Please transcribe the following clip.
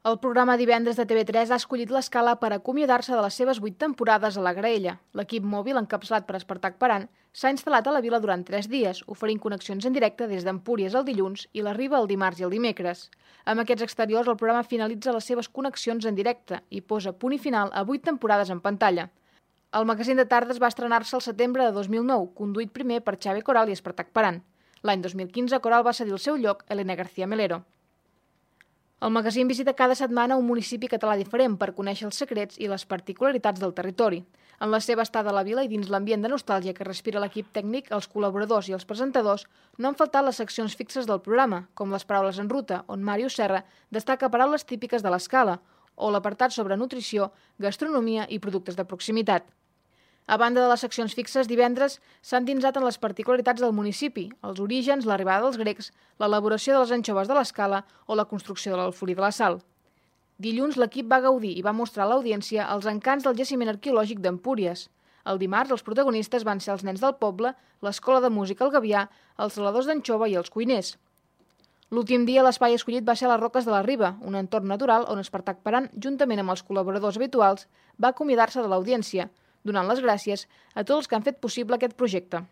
El programa Divendres de TV3 ha escollit l'escala per acomiadar-se de les seves 8 temporades a la graella. L'equip mòbil, encapçalat per Espartac Paran, s'ha instal·lat a la vila durant 3 dies, oferint connexions en directe des d'Empúries el dilluns i la Riba el dimarts i el dimecres. Amb aquests exteriors, el programa finalitza les seves connexions en directe i posa punt i final a 8 temporades en pantalla. El magazín de tardes va estrenar-se al setembre de 2009, conduït primer per Xavi Coral i Espartac Paran. L'any 2015, Coral va cedir el seu lloc a Elena García Melero. El magazín visita cada setmana un municipi català diferent per conèixer els secrets i les particularitats del territori. En la seva estada a la vila i dins l'ambient de nostàlgia que respira l'equip tècnic, els col·laboradors i els presentadors, no han faltat les seccions fixes del programa, com les paraules en ruta, on Màrius Serra destaca paraules típiques de l'escala, o l'apartat sobre nutrició, gastronomia i productes de proximitat. A banda de les seccions fixes, divendres s'han dinsat en les particularitats del municipi, els orígens, l'arribada dels grecs, l'elaboració de les anxoves de l'escala o la construcció de l'Alforí de la Sal. Dilluns l'equip va gaudir i va mostrar a l'audiència els encants del jaciment arqueològic d'Empúries. El dimarts els protagonistes van ser els nens del poble, l'escola de música El Gavià, els saladors d'anxova i els cuiners. L'últim dia l'espai escollit va ser a les Roques de la Riba, un entorn natural on Espartac Paran, juntament amb els col·laboradors habituals, va acomiadar-se de l'audiència, donant les gràcies a tots els que han fet possible aquest projecte.